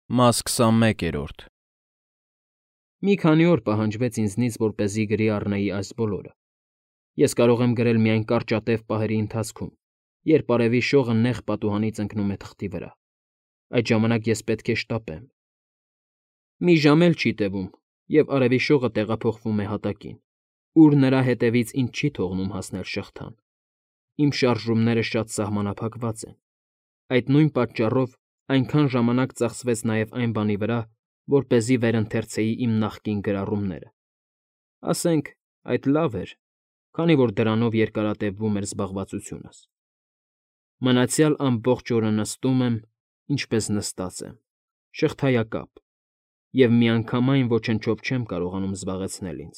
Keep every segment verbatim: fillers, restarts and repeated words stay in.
Մաս քսանմեկերորդ Մի քանի օր պահանջվեց ինձնից, որպեսզի գրի առնեի այս բոլորը. ես կարող եմ գրել միայն կարճատև պահերի ընթացքում, երբ արևի շողը նեղ պատուհանից ընկնում է թղթի վրա. այդ ժամանակ ես պետք է շտապեմ։ Մի ժամ էլ չի տևում, և արևի շողը տեղափոխվում է հատակին, ուր նրա հետևից ինձ չի թողնում հասնել շղթան։ Իմ շարժումները շատ սահմանափակված են։ Այդ նույն պատճառով այնքան ժամանակ ծախսվեց նաև այն բանի վրա, որպեսզի վերընթերցեի իմ նախկին գրառումները։ Ասենք, այդ լավ էր, քանի որ դրանով երկարատևվում էր զբաղվածությունս։ Մնացյալ ամբողջ օրը նստում եմ, ինչպես նստած եմ, շղթայակապ, և միանգամայն ոչնչով չեմ կարողանում զբաղեցնել ինձ։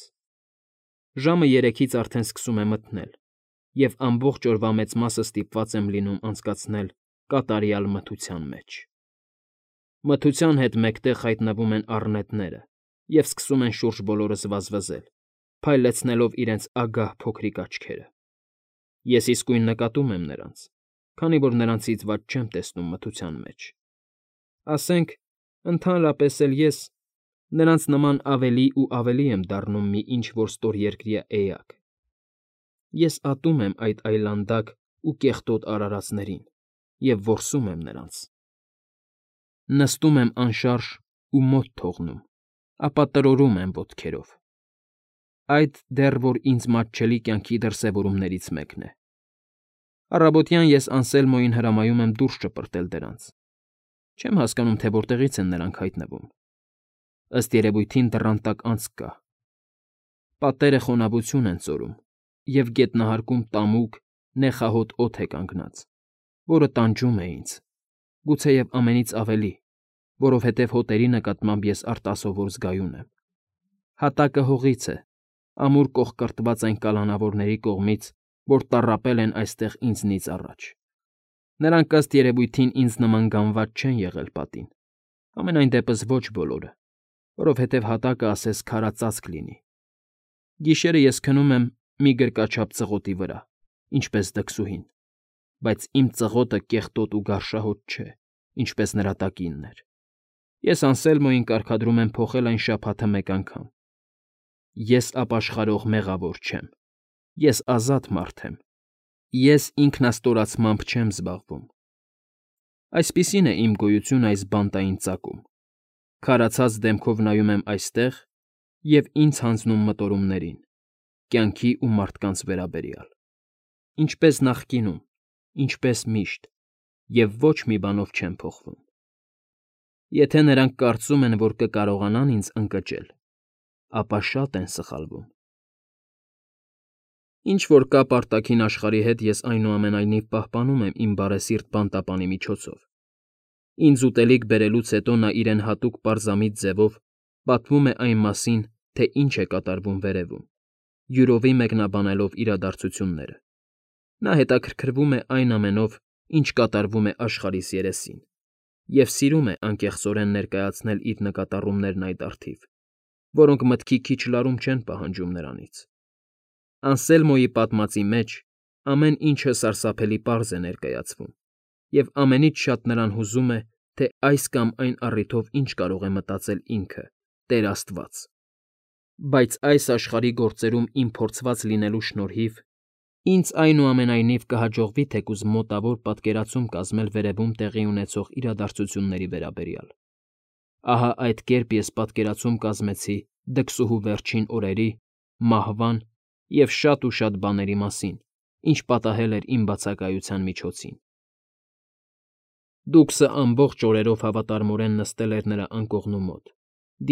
Ժամը երեքից արդեն սկսում է մթնել, և ամբողջ օրվա մեծ մասը ստիպված եմ լինում անցկացնել կատարյալ մթության մեջ։ Մթության հետ մեկտեղ հայտնվում են առնետները և սկսում են շուրջ բոլորս վազվզել, փայլեցնելով իրենց ագահ փոքրիկ աչքերը։ Ես իսկույն նկատում եմ նրանց, քանի որ նրանցից վատ չեմ տեսնում մթության մեջ։ Ասենք, ընդհանրապես էլ ես նրանց նման ավելի ու ավելի եմ դառնում մի ինչ֊որ ստորերկրյա էակ։ Ես ատում եմ այդ այլանդակ ու կեղտոտ արարածներին և որսում եմ նրանց։ Նստում եմ անշարժ ու մոտ թողնում, ապա տրորում եմ ոտքերով։ Այդ դեռ որ ինձ մատչելի կյանքի դրսևորումներից մեկն է։ Առավոտյան ես Անսելմոյին հրամայում եմ դուրս շպրտել դրանց։ Չեմ հասկանում, թե որտեղից են նրանք հայտնվում։ Ըստ երևույթին դռան տակ անցք կա։ Պատերը խոնավություն են ծորում, և գետնահարկում տամուկ, նեխահոտ օդ է կանգնած, որը տանջում է ինձ, գուցեև ամենից ավելի, որովհետև հոտերի նկատմամբ ես արտասովոր զգայուն եմ։ Հատակը հողից է, ամուր կոխկրտված այն կալանավորների կողմից, որ տառապել են այստեղ ինձնից առաջ։ Նրանք ըստ երևույթին ինձ նման գանված չեն եղել պատին, համենայն դեպս ոչ բոլորը, որովհետև հատակը ասես քարածածկ լինի։ Գիշերը ես քնում եմ մի գրկաչափ ծղոտի վրա, ինչպես դքսուհին, բայց իմ ծղոտը կեղտոտ ու գարշահոտ չէ, ինչպես նրա տակինն էր։ Ես Անսելմոյին կարգադրում եմ փոխել այն շաբաթը մեկ անգամ։ Ես ապաշխարող մեղավոր չեմ։ Ես ազատ մարդ եմ։ Ես ինքնաստորացմամբ չեմ զբաղվում։ Այսպիսին է իմ գոյությունը այս բանտային ծակում։ Քարացած դեմքով նայում եմ այստեղ և ինձ հանձնում մտորումներին, կյանքի ու մարդկանց վերաբերյալ։ Ինչպես նախկինում, ինչպես միշտ, և ոչ մի բանով չեմ փոխվում։ Եթե նրանք կարծում են, որ կկարողանան ինձ ընկճել, ապա շատ են սխալվում։ Ինչ որ կապ արտաքին աշխարհի հետ ես այնուամենայնիվ պահպանում եմ իմ բարեսիրտ բանտապանի միջոցով։ Ինձ ուտելիք բերելուց հետո նա իրեն հատուկ պարզամիտ ձևով պատմում է այն մասին, թե ինչ է կատարվում վերևում, յուրովի մեկնաբանելով իրադարձությունները։ Նա հետաքրքրվում է այն ամենով, ինչ կատարվում է աշխարհիս երեսին, և սիրում է անկեղծորեն ներկայացնել իր նկատառումներն այդ առթիվ, որոնք մտքի քիչ լարում չեն պահանջում նրանից։ Անսելմոյի պատմածի մեջ ամեն ինչը սարսափելի պարզ է ներկայացվում, և ամենից շատ նրան հուզում է, թե այս կամ այն առիթով ինչ կարող է մտածել ինքը՝ Տեր Աստված։ Բայց այս աշխարհի գործերում իմ փորձված լինելու շնորհիվ ինձ այնուամենայնիվ կհաջողվի թեկուզ մոտավոր պատկերացում կազմել վերևում տեղի ունեցող իրադարձությունների վերաբերյալ։ Ահա այդ կերպ ես պատկերացում կազմեցի դքսուհու վերջին օրերի, մահվան և շատ ու շատ բաների մասին, ինչ պատահել էր իմ բացակայության միջոցին։ Դուքսը ամբողջ օրերով հավատարմորեն նստել էր նրա անկողնու մոտ,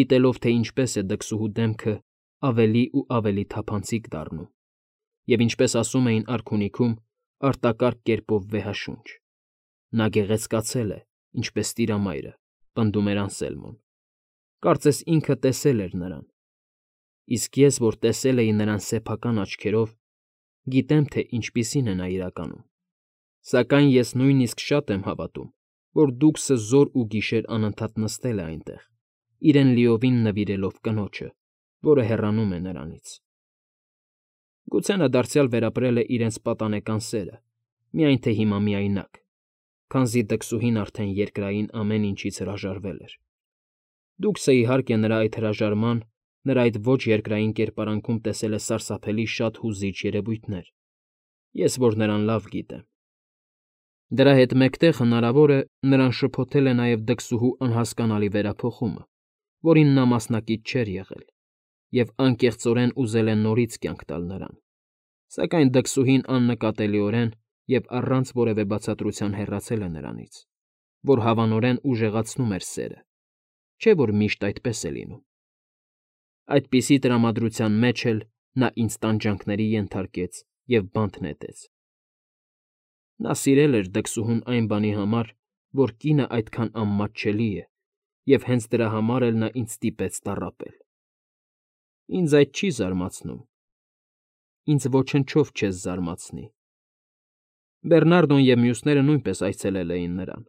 դիտելով, թե ինչպես է դքսուհու դեմքը ավելի ու ավելի թափանցիկ դառնում, և ինչպես ասում էին արքունիքում, արտակարգ կերպով վեհաշունչ։ Նա գեղեցկացել է, ինչպես տիրամայրը, պնդում էր Անսելմոն։ Կարծես ինքը տեսել էր նրան։ Իսկ ես, որ տեսել էի նրան սեփական աչքերով, գիտեմ, թե ինչպիսին է նա իրականում։ Սակայն ես նույնիսկ շատ եմ հավատում, որ դուքսը զօր ու գիշեր անընդհատ նստել է այնտեղ, իրեն լիովին նվիրելով կնոջը, որը հեռանում է նրանից։ Գուցե նա դարձյալ վերապրել է իրենց պատանեկան սերը, միայն թե հիմա միայնակ, քանզի դքսուհին արդեն երկրային ամեն ինչից հրաժարվել էր։ Դուքսը, իհարկե, նրա այդ հրաժարման, նրա այդ ոչ երկրային կերպարանքում տեսել է սարսափելի շատ հուզիչ երևույթներ, ես որ նրան լավ գիտեմ։ Դրա հետ մեկտեղ, հնարավոր է, նրան շփոթել է նաև դքսուհու անհասկանալի վերափոխումը, որին նա մասնակից չէր եղել, և անկեղծորեն ուզել է նորից կյանք տալ նրան, սակայն դքսուհին աննկատելիորեն և առանց որևէ բացատրության հեռացել է նրանից, որ հավանորեն ուժեղացնում էր սերը, չէ՞ որ միշտ այդպես է լինում։ Այդպիսի տրամադրության մեջ էլ նա ինձ տանջանքների ենթարկեց և բանտ նետեց։ Նա սիրել էր դքսուհուն այն բանի համար, որ կինը այդքան անմատչելի է, և հենց դրա համար էլ նա ինձ ստիպեց տառապել։ Ինձ այդ չի զարմացնում։ Ինձ ոչնչով չես զարմացնի։ Բեռնարդոն և մյուսները նույնպես այցելել էին նրան։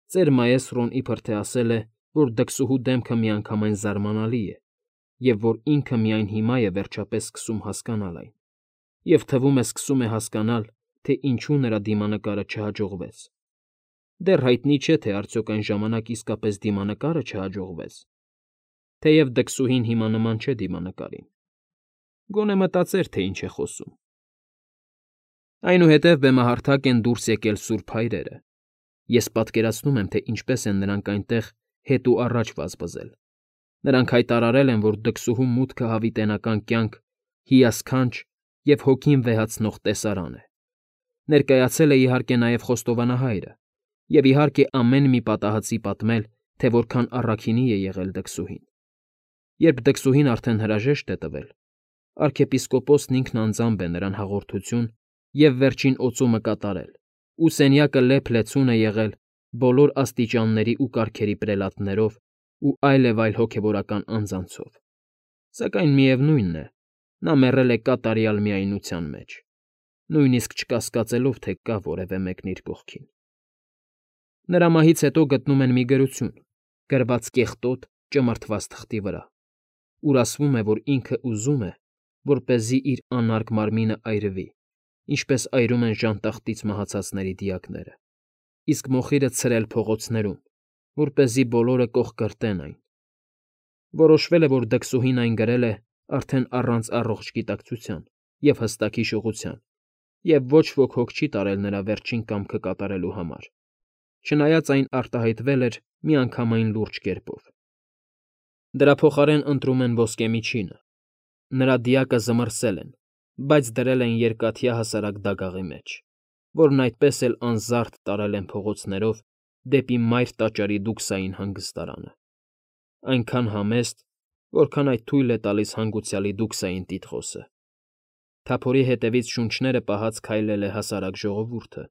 Ծեր մայեստրոն իբրև թե ասել է, որ դքսուհու դեմքը միանգամայն զարմանալի է, և որ ինքը միայն հիմա է վերջապես սկսում հասկանալ այն, և թվում է սկսում է հասկանալ, թե ինչու նրա դիմանկարը չհաջողվեց։ Դեռ հայտնի չէ, թե արդյոք այն ժամանակ իսկապես դիմանկարը չհաջողվեց, թեև դքսուհին հիմա նման չէ դիմանկարին։ Գոնե մտածեր, թե ինչ է խոսում։ Այնուհետև բեմահարթակ են դուրս եկել սուրբ հայրերը։ Ես պատկերացնում եմ, թե ինչպես են նրանք այնտեղ հետ ու առաջ վազվզել։ Նրանք հայտարարել են, որ դքսուհու մուտքը հավիտենական կյանք, հիասքանչ և հոգին վեհացնող տեսարան է։ Ներկայացել է, իհարկե, նաև խոստովանահայրը, և, իհարկե, ամեն մի պատահածի պատմել, թե որքան առաքինի է եղել դքսուհին։ Երբ դքսուհին արդեն հրաժեշտ է տվել, արքեպիսկոպոսն ինքն անձամբ է նրան հաղորդություն և վերջին օծումը կատարել, ու սենյակը լեփ֊լեցուն է եղել բոլոր աստիճանների ու կարգերի պրելատներով ու այլև այլ հոգևորական անձանցով, սակայն, միևնույն է, նա մեռել է կատարյալ միայնության մեջ, նույնիսկ չկասկածելով, թե կա որևէ մեկն իր կողքին։ Նրա մահից հետո գտնում են մի գրություն՝ գրված կեղտոտ, ճմրթված թղթի վրա, ուր ասվում է, որ ինքը ուզում է, որպեսզի իր անարգ մարմինը այրվի, ինչպես այրում են ժանտախտից մահացածների դիակները, իսկ մոխիրը ցրել փողոցներում, որպեսզի բոլորը կոխկրտեն այն։ Որոշվել է, որ դքսուհին այն գրել է արդեն առանց առողջ գիտակցության և հստակ հիշողության, և ոչ ոք հոգ չի տարել նրա վերջին կամքը կատարելու համար, չնայած այն արտահայտվել էր միանգամայն լուրջ կերպով։ Դրա փոխարեն ընտրում են ոսկե միջինը։ Նրա դիակը զմռսել են, բայց դրել են երկաթյա հասարակ դագաղի մեջ, որն այդպես էլ անզարդ տարել են փողոցներով դեպի մայր տաճարի դուքսային հանգստարանը, այնքան համեստ, որքան այդ թույլ է տալիս հանգուցյալի դուքսային տիտղոսը։ Թափորի հետևից շունչները պահած քայլել է հասարակ ժողովուրդը,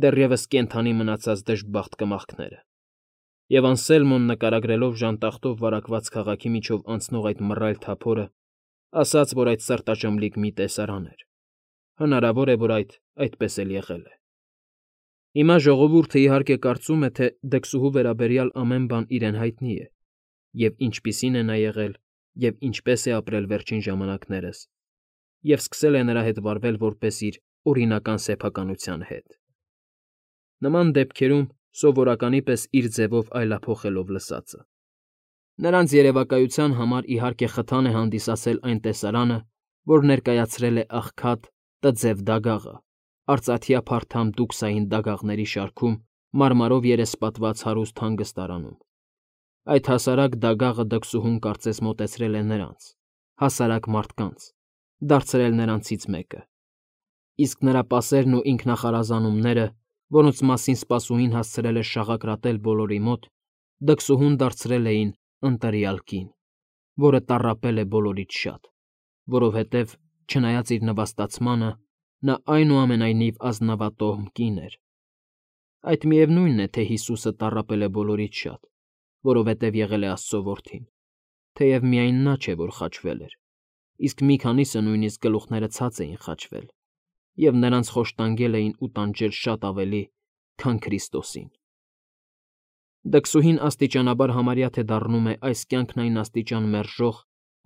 դեռևս կենդանի մնացած դժբախտ կմախքները, և Անսելմոն, նկարագրելով ժանտախտով վարակված քաղաքի միջով անցնող այդ մռայլ թափորը, ասաց, որ այդ սրտաճմլիկ մի տեսարան էր։ Հնարավոր է, որ այդ այդպես էլ եղել է։ Հիմա ժողովուրդը, իհարկե, կարծում է, թե դքսուհու վերաբերյալ ամեն բան իրեն հայտնի է, և ինչպիսին է նա եղել, և ինչպես է ապրել վերջին ժամանակներս, և սկսել է նրա հետ վարվել որպես իր օրինական սեփականության հետ, նման դեպքերում սովորականի պես իր ձևով այլափոխելով լսածը։ Նրանց երևակայության համար, իհարկե, խթան է հանդիսացել այն տեսարանը, որ ներկայացրել է աղքատ, տձև դագաղը, արծաթյա փարթամ դուքսային դագաղների շարքում մարմարով երեսպատված հարուստ հանգստարանում։ Այդ հասարակ դագաղը դքսուհուն կարծես մոտեցրել է նրանց, հասարակ մարդկանց, դարձրել նրանցից մեկը, իսկ նրա պասերն ու ինքնախարազանումները, որոնց մասին սպասուհին հասցրել էր շաղակրատել բոլորի մոտ, դքսուհուն դարձրել էին ընտրյալ կին, որը տառապել է բոլորից շատ, որովհետև, չնայած իր նվաստացմանը, նա այնուամենայնիվ ազնավատոհմ կին էր։ Այդ միևնույնն է, թե Հիսուսը տառապել է բոլորից շատ, որովհետև եղել է Աստծո որդին, թեև միայն նա չէ, որ խաչվել էր, իսկ մի քանիսը նույնիսկ գլուխները ցած էին խաչվել, և նրանց խոշտանգել էին ու տանջել շատ ավելի, քան Քրիստոսին։ Դքսուհին աստիճանաբար համարյա թե դառնում է այս կյանքն այն աստիճան մերժող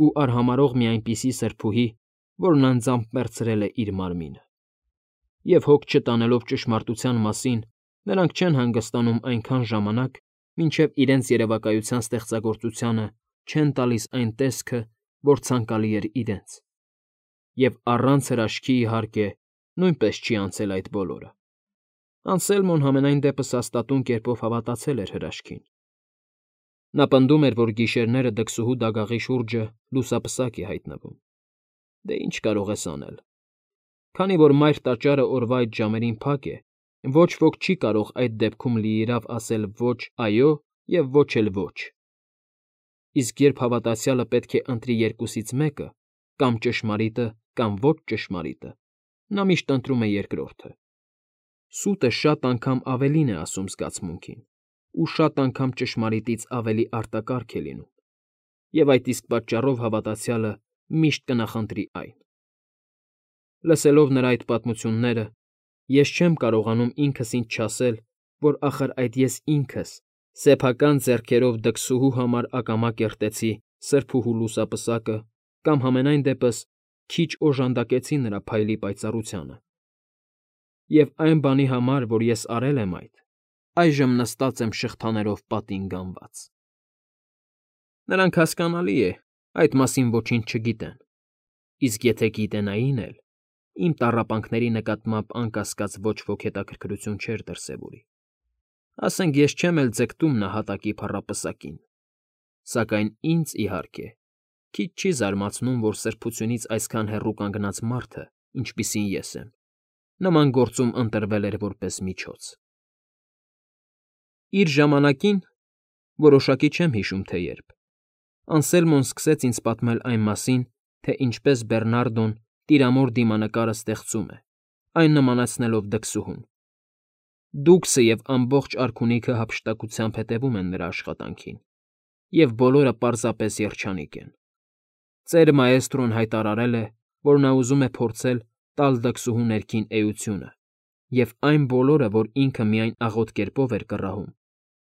ու արհամարհող մի այնպիսի սրբուհի, որն անձամբ մեռցրել է իր մարմինը։ Եվ հոգ չտանելով ճշմարտության մասին, նրանք չեն հանգստանում այնքան ժամանակ, մինչև իրենց երևակայության ստեղծագործությանը չեն տալիս այն տեսքը, որ ցանկալի էր իրենց, և առանց հրաշքի, իհարկե, նույնպես չի անցել այդ բոլորը. Անսելմոն համենայն դեպս հաստատուն կերպով հավատացել էր հրաշքին. նա պնդում էր, որ գիշերները դքսուհու դագաղի շուրջը լուսապսակ է հայտնվում. դե ինչ կարող ես անել, քանի որ մայր տաճարը օրվա այդ ժամերին փակ է, ոչ ոք չի կարող այդ դեպքում լիիրավ ասել ոչ այո և ոչ էլ ոչ, իսկ երբ հավատացյալը պետք է ընտրի երկուսից մեկը, կամ ճշմարիտը, կամ ոչ ճշմարիտը, նա միշտ ընտրում է երկրորդը. սուտը շատ անգամ ավելին է ասում զգացմունքին, ու շատ անգամ ճշմարիտից ավելի արտակարգ է լինում, և այդ իսկ պատճառով հավատացյալը միշտ կնախընտրի այն։ Լսելով նրա այդ պատմությունները, ես չեմ կարողանում ինքս ինձ չասել, որ ախր այդ ես ինքս սեփական ձեռքերով դքսուհու համար ակամա կերտեցի սրբուհու լուսապսակը կամ համենայն դեպս քիչ օժանդակեցի նրա փայլի պայծառությանը։ Եվ այն բանի համար, որ ես արել եմ այդ, այժմ նստած եմ շղթաներով պատին գանված։ Նրանք, հասկանալի է, այդ մասին ոչինչ չգիտեն, իսկ եթե գիտենային էլ, իմ տառապանքների նկատմամբ անկասկած ոչ ոք հետաքրքրություն չէր դրսևորի։ Ասենք ես չեմ էլ ձգտում նահատակի փառապսակին, սակայն ինձ, իհարկե, քիչ չի զարմացնում, որ սրբությունից այսքան հեռու կանգնած մարդը, ինչպիսին ես եմ, նման գործում ընտրվել էր որպես միջոց։ Իր ժամանակին, որոշակի չեմ հիշում, թե երբ, Անսելմոն սկսեց ինձ պատմել այն մասին, թե ինչպես Բեռնարդոն տիրամոր դիմանկարը ստեղծում է, այն նմանացնելով դքսուհուն։ Դուքսը և ամբողջ արքունիքը հափշտակությամբ հետևում են նրա աշխատանքին, և բոլորը պարզապես երջանիկ են։ Ծեր մայեստրոն հայտարարել է, որ նա ուզում է փորձել տալ դքսուհու ներքին էությունը, և այն բոլորը, որ ինքը միայն աղոտ կերպով էր կռահում,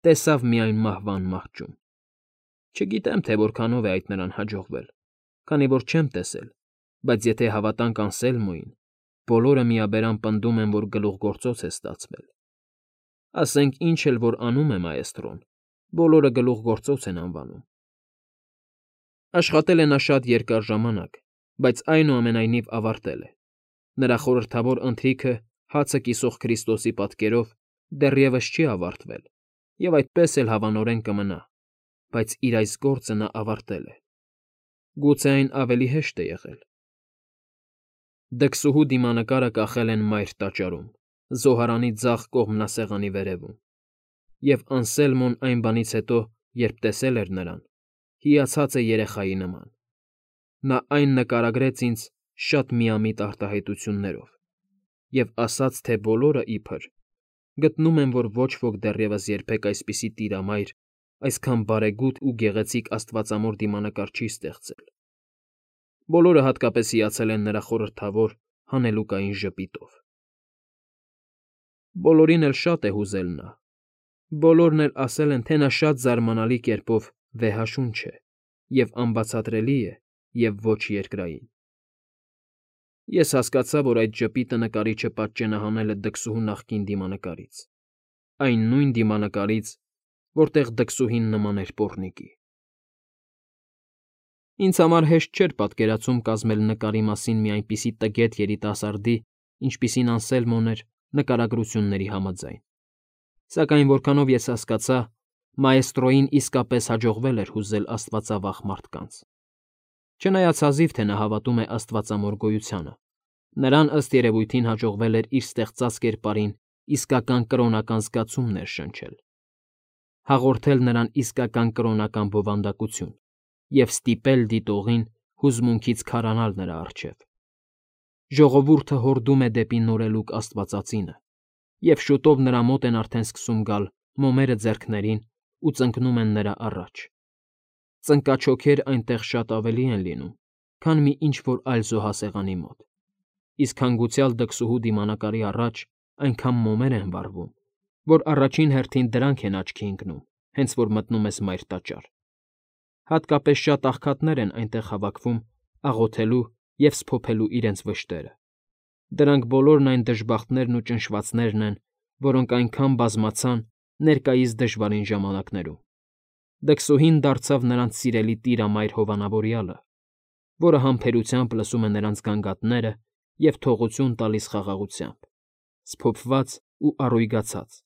տեսավ միայն մահվան մահճում։ Չգիտեմ, թե որքանով է այդ նրան հաջողվել, քանի որ չեմ տեսել, բայց եթե հավատանք Անսելմոյին, բոլորը միաբերան պնդում են, որ գլուխգործոց է ստացվել։ Ասենք ինչ էլ որ անում է մայեստրոն, բոլորը գլուխգործոց են անվանում։ Աշխատել է նա շատ երկար ժամանակ, բայց այնուամենայնիվ ավարտել է։ Նրա խորհրդավոր ընթրիքը հացը կիսող Քրիստոսի պատկերով դեռևս չի ավարտվել և այդպես էլ հավանորեն կմնա, բայց իր այս գործը նա ավարտել է։ Գուցե այն ավելի հեշտ է եղել։ Դքսուհու դիմանկարը կախել են մայր տաճարում, զոհարանի ձախ կողմնասեղանի վերևում, և Անսելմոն այն բանից հետո, երբ տեսել էր նրան, հիացած է երեխայի նման։ Նա այն նկարագրեց ինձ շատ միամիտ արտահայտություններով և ասաց, թե բոլորը, իբր, գտնում են, որ ոչ ոք դեռևս երբեք այսպիսի տիրամայր, այսքան բարեգութ ու գեղեցիկ աստվածամոր դիմանկար չի ստեղծել։ Բոլորը հատկապես հիացել են նրա խորհրդավոր, հանելուկային ժպիտով։ Բոլորին էլ շատ է հուզել նա, բոլորն էլ ասել են, թե նա շատ զարմանալի կերպով վեհաշունչ է և անբացատրելի է և ոչ երկրային։ Ես հասկացա, որ այդ ժպիտը նկարիչը պատճենահանել է դքսուհու նախկին դիմանկարից, այն նույն դիմանկարից, որտեղ դքսուհին նման էր պոռնիկի։ Ինձ համար հեշտ չէր պատկերացում կազմել նկարի մասին մի այնպիսի տգետ երիտասարդի, ինչպիսին Անսելմոն էր, նկարագրությունների համաձայն։ Սակայն որքանով ես հասկացա, մայեստրոյին իսկապես հաջողվել էր հուզել աստվածավախ մարդկանց։ Չնայած հազիվ թե նա հավատում է աստվածամոր գոյությանը, նրան ըստ երևույթին հաջողվել էր իր ստեղծած կերպարին իսկական կրոնական զգացում ներշնչել, հաղորդել նրան իսկական կրոնական բովանդակություն և ստիպել դիտողին հուզմունքից քարանալ նրա առջև։ Ժողովուրդը հորդում է դեպի նորելուկ աստվածածինը, և շուտով նրա մոտ են արդեն սկսում գալ մոմերը ձեռքներին ու ծնկնում են նրա առաջ։ Ծնկաչոքեր այնտեղ շատ ավելի են լինում, քան մի ինչ֊որ այլ զոհասեղանի մոտ, իսկ հանգուցյալ դքսուհու դիմանկարի առաջ այնքան մոմեր են վառվում, որ առաջին հերթին դրանք են աչքի ընկնում, հենց որ մտնում ես մայր տաճար։ Հատկապես շատ աղքատներ են այնտեղ հավաքվում աղոթելու և սփոփելու իրենց վշտերը։ Դրանք բոլորն այն դժբախտներն ու ճնշվածներն են, որոնք այնքան բազմացան, ներկայիս դժվարին ժամանակներում։ Դքսուհին դարձավ նրանց սիրելի տիրամայր հովանավորյալը, որը համբերությամբ լսում է նրանց գանգատները և թողություն տալիս խաղաղությամբ, սփոփված ու առույգացած,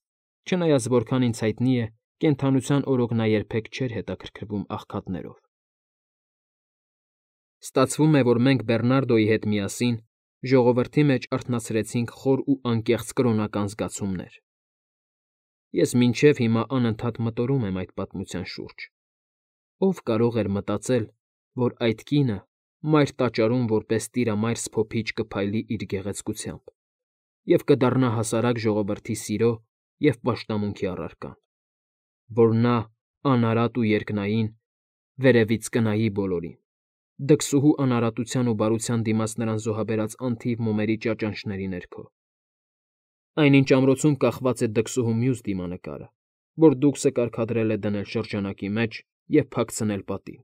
չնայած որքան ինձ հայտնի է, կենդանության օրոք նա երբեք չէր հետաքրքրվում աղքատներով։ Ստացվում է, որ մենք Բեռնարդոյի հետ միասին ժողովրդի մեջ արթնացրեցինք խոր ու անկեղծ կրոնական զգացումներ։ Ես մինչև հիմա անընդհատ մտորում եմ այդ պատմության շուրջ։ Ո՞վ կարող էր մտածել, որ այդ կինը մայր տաճարում որպես տիրամայր սփոփիչ կփայլի իր գեղեցկությամբ և կդառնա հասարակ ժողովրդի սիրո և պաշտամունքի առարկան, որ նա, անարատ ու երկնային, վերևից կնայի բոլորին, դքսուհու անարատության ու բարության դիմաց նրան զոհաբերած անթիվ մոմերի ճաճանճների ներքո։ Այնինչ ամրոցում կախված է դքսուհու մյուս դիմանկարը, որ դուքսը կարգադրել է դնել շրջանակի մեջ և փակցնել պատին,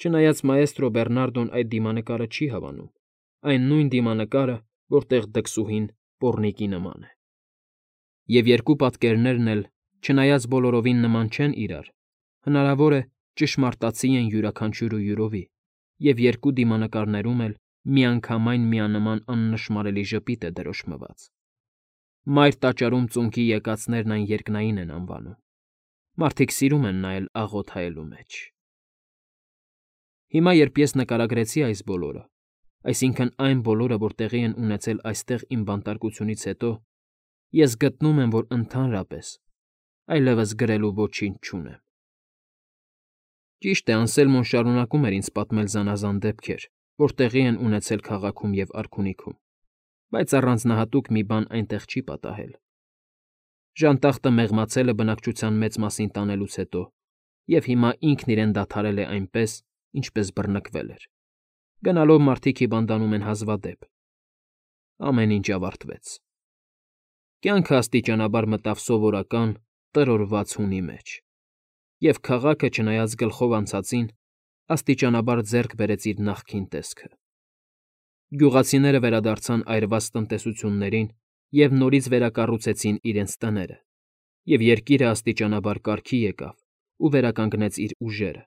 չնայած մաեստրո Բեռնարդոն այդ դիմանկարը չի հավանում, այն նույն դիմանկարը, որտեղ դքսուհին պոռնիկի նման է։ Եվ երկու պատկերներն էլ, չնայած բոլորովին նման չեն իրար, հնարավոր է ճշմարտացի են յուրաքանչյուրը յուրովի, և երկու դիմանկարներում էլ միանգամայն միանման աննշմարելի ժպիտ է դրոշմված։ Մայր տաճարում ծունկի եկածներն այն երկնային են անվանում։ Մարդիկ սիրում են նայել աղոտ հայելու մեջ։ Հիմա, երբ ես նկարագրեցի այս բոլորը, այսինքն այն բոլորը, որ տեղի են ունեցել այստեղ իմ բանտարկությունից հետո, ես գտնում եմ, որ ընդհանրապես այլևս գրելու ոչինչ չունեմ։ Ճիշտ է, Անսելմոն շարունակում էր ինձ պատմել զանազան դեպքեր, որ տեղի են ունեցել քաղաքում և արքունիքում, բայց առանձնահատուկ մի բան այնտեղ չի պատահել։ Ժանտախտը մեղմացել է բնակչության մեծ մասին տանելուց հետո, և հիմա ինքն իրեն դադարել է այնպես, ինչպես բռնկվել էր։ Գնալով մարդիկ հիվանդանում են հազվադեպ։ Ամեն ինչ ավարտվեց։ Կյանքը աստիճանաբար մտավ սովորական, տրորված հունի մեջ, և քաղաքը, չնայած գլխով անցածին, աստիճանաբար ձեռք բերեց իր նախկին տեսքը։ Գյուղացիները վերադարձան այրված տնտեսություններին և նորից վերակառուցեցին իրենց տները, և երկիրը աստիճանաբար կարգի եկավ ու վերականգնեց իր ուժերը,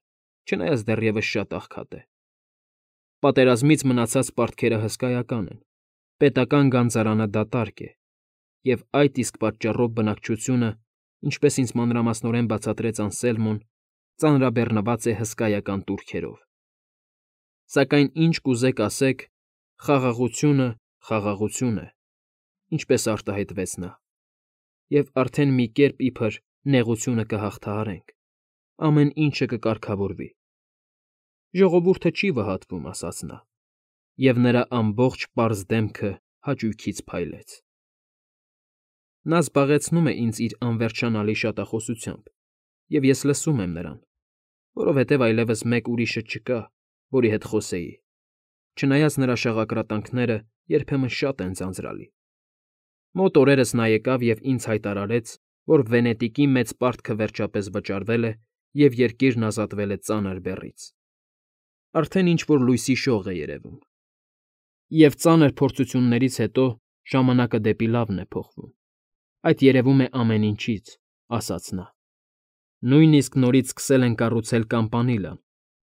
չնայած դեռևս շատ աղքատ է։ Պատերազմից մնացած պարտքերը հսկայական են, պետական գանձարանը դատարկ է, և այդ իսկ պատճառով բնակչությունը, ինչպես ինձ մանրամասնորեն բացատրեց Անսելմոն, ծանրաբեռնված է հսկայական տուրքերով։ Սակայն ինչ կուզեք ասեք, խաղաղությունը խաղաղություն է, ինչպես արտահայտվեց նա, և արդեն մի կերպ իբր նեղությունը կհաղթահարենք, ամեն ինչը կկարգավորվի։ Ժողովուրդը չի վհատվում, ասաց նա, և նրա ամբողջ պարզ դեմքը հաճույքից փայլեց։ Նա զբաղեցնում է ինձ իր անվերջանալի շատախոսությամբ, և ես լսում եմ նրան, որովհետև այլևս մեկ ուրիշը չկա, որի հետ խոսեի, չնայած նրա շաղակրատանքները երբեմն շատ են ձանձրալի։ Մոտ օրերս նա եկավ և ինձ հայտարարեց, որ Վենետիկի մեծ պարտքը վերջապես վճարվել է և երկիրն ազատվել է ծանր բեռից։ Արդեն ինչ֊որ լույսի շող է երևում։ Եվ ծանր փորձություններից հետո ժամանակը դեպի լավն է փոխվում։ Այդ երևում է ամեն ինչից, ասաց նա։ Նույնիսկ նորից սկսել են կառուցել Կամպանիլան,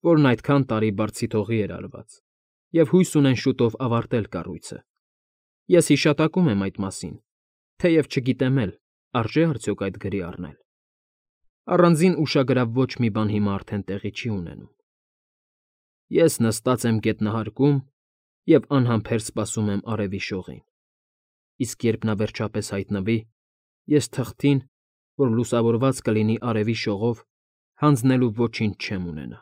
որն այդքան տարի բարձիթողի էր արված, և հույս ունեն շուտով ավարտել կառույցը։ Ես հիշատակում եմ այդ մասին, թեև չգիտեմ էլ, արժե՞ արդյոք այդ գրի առնել։ Առանձին ուշագրավ ոչ մի բան հիմա արդեն տեղի չի ունենում։ Ես նստած եմ գետնահարկում և անհամբեր սպասում եմ արևի շողին, իսկ երբ նա վերջապես հայտնվի, ես թղթին, որ լուսավորված կլինի արևի շողով, հանձնելու ոչինչ չեմ ունենա։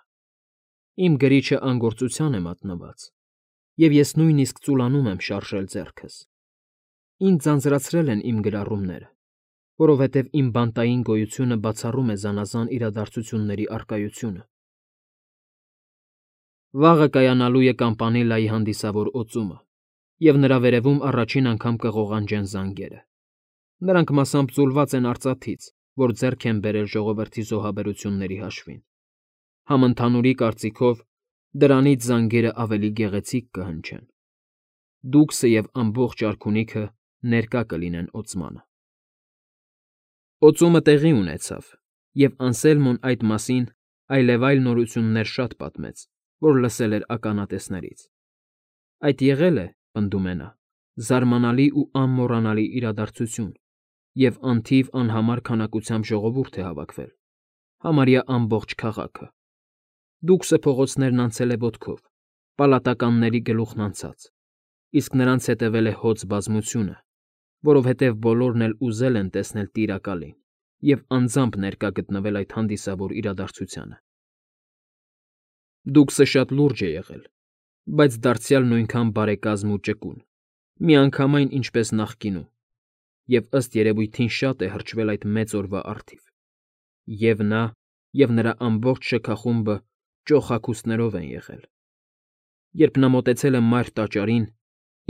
Իմ գրիչը անգործության է մատնված, և ես նույնիսկ ծուլանում եմ շարժել ձեռքս։ Ինձ ձանձրացրել են իմ գրառումները, որովհետև իմ բանտային գոյությունը բացառում է զանազան իրադարձությունների առկայությունը։ Վաղը կայանալու է Կամպանիլայի հանդիսավոր օծումը, և նրա վերևում առաջին անգամ կղողանջեն զանգերը։ Նրանք մասամբ ձուլված են արծաթից, որ ձեռք են բերել ժողովրդի զոհաբերությունների հաշվին։ Համընդհանուրի կարծիքով, դրանից զանգերը ավելի գեղեցիկ կհնչեն։ Դուքսը և ամբողջ արքունիքը ներկա կլինեն օծմանը։ Օծումը տեղի ունեցավ, և Անսելմոն այդ մասին այլևայլ նորություններ շատ պատմեց, որ լսել էր ականատեսներից. այդ եղել է, պնդում է նա, զարմանալի ու անմոռանալի իրադարձություն, և անթիվ անհամար քանակությամբ ժողովուրդ է հավաքվել, համարյա ամբողջ քաղաքը։ Դուքսը փողոցներն անցել է ոտքով, պալատականների գլուխն անցած, իսկ նրանց հետևել է հոծ բազմությունը, որովհետև բոլորն էլ ուզել են տեսնել Տիրակալին և անձամբ ներկա գտնվել այդ հանդիսավոր իրադարձությանը։ Դուքսը շատ լուրջ է եղել, բայց դարձյալ նույնքան բարեկազմ ու ճկուն, միանգամայն ինչպես նախկինում, և ըստ երևույթին շատ է հրճվել այդ մեծ օրվա առթիվ։ Եվ նա, և նրա ամբողջ շքախումբը ճոխհագուստներով են եղել։ Երբ նա մոտեցել է մայր տաճարին,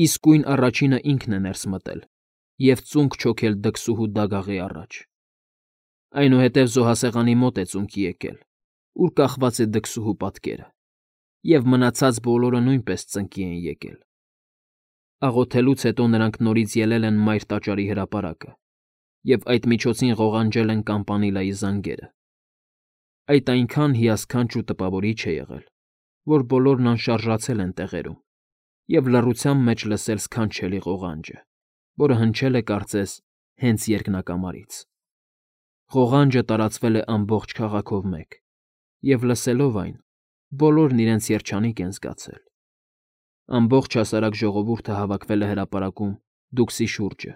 իսկույն առաջինը ինքն է ներս մտել և ծունկ չոքել դքսուհու դագաղի առաջ։ Այնուհետև զոհասեղանի մոտ է ծունկի եկել, ուր կախված է դքսուհու պատկերը, և մնացած բոլորը նույնպես ծնկի են եկել։ Աղոթելուց հետո նրանք նորից ելել են մայր տաճարի հրապարակը և այդ միջոցին ղողանջել են կամպանիլայի զանգերը։ Այդ այնքան հիասքանչ ու տպավորիչ է եղել, որ բոլորն անշարժացել են տեղերում և լռության մեջ լսել սքանչելի ղողանջը, որը հնչել է, կարծես, հենց երկնակամարից։ Ղողանջը տարածվել է ամբողջ քաղաքով մեկ, և լսելով այն, բոլորն իրենց երջանիկ են զգացել։ Ամբողջ հասարակ ժողովուրդը հավաքվել է հրապարակում դուքսի շուրջը,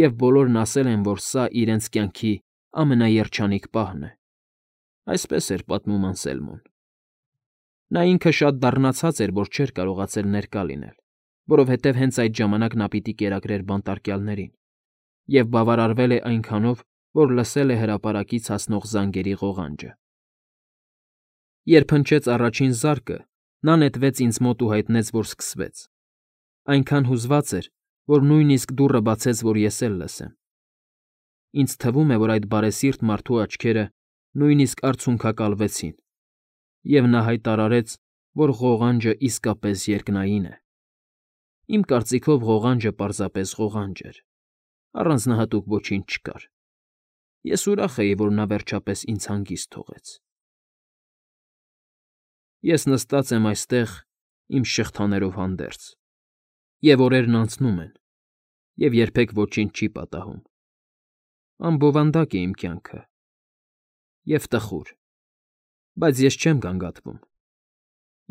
և բոլորն ասել են, որ սա իրենց կյանքի ամենաերջանիկ պահն է։ Այսպես էր պատմում Անսելմոն։ Նա ինքը շատ դառնացած էր, որ չէր կարողացել ներկա լինել, որովհետև հենց այդ ժամանակ նա պիտի կերակրեր բանտարկյալներին, և բավարարվել է այնքանով, որ լսել է հրապարակից հասնող զանգերի ղողանջը։ Երբ հնչեց առաջին զարկը, նա նետվեց ինձ մոտ ու հայտնեց, որ սկսվեց։ Այնքան հուզված էր, որ նույնիսկ դուռը բացեց, որ ես էլ լսեմ։ Ինձ թվում է, որ այդ բարեսիրտ մարդու աչքերը նույնիսկ արցունքակալվեցին, և նա հայտարարեց, որ ղողանջը իսկապես երկնային է։ Իմ կարծիքով ղողանջը պարզապես ղողանջ էր, առանձնահատուկ ոչինչ չկար։ Ես ուրախ էի, որ նա վերջապես ինձ հանգիստ թողեց։ Ես նստած եմ այստեղ իմ շղթաներով հանդերձ, և օրերն անցնում են, և երբեք ոչինչ չի պատահում։ Անբովանդակ է իմ կյանքը և տխուր, բայց ես չեմ գանգատվում։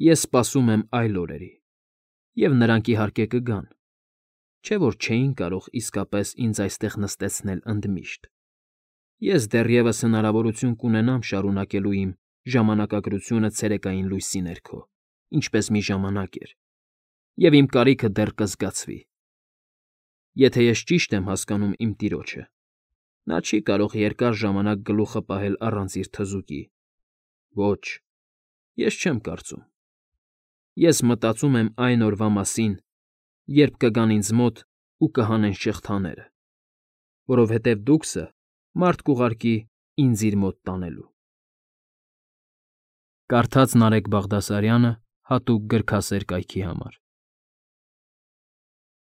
Ես սպասում եմ այլ օրերի, և նրանք, իհարկե, կգան, չէ՞ որ չէին կարող իսկապես ինձ այստեղ նստեցնել ընդմիշտ։ Ես դեռևս հնարավորություն կունենամ շարունակելու իմ ժամանակագրությունը ցերեկային լույսի ներքո, ինչպես մի ժամանակ էր, և իմ կարիքը դեռ կզգացվի։ Եթե ես ճիշտ եմ հասկանում իմ տիրոջը, նա չի կարող երկար ժամանակ գլուխը պահել առանց իր թզուկի։ Ոչ, ես չեմ կարծում։ Ես մտածում եմ այն օրվա մասին, երբ կգան ինձ մոտ ու կհանեն շղթաները, որովհետև դուքսը մարդ կուղարկի ինձ իր մոտ տանելու։ Կարդաց Նարեկ Բաղդասարյանը հատուկ գրքասեր կայքի համար։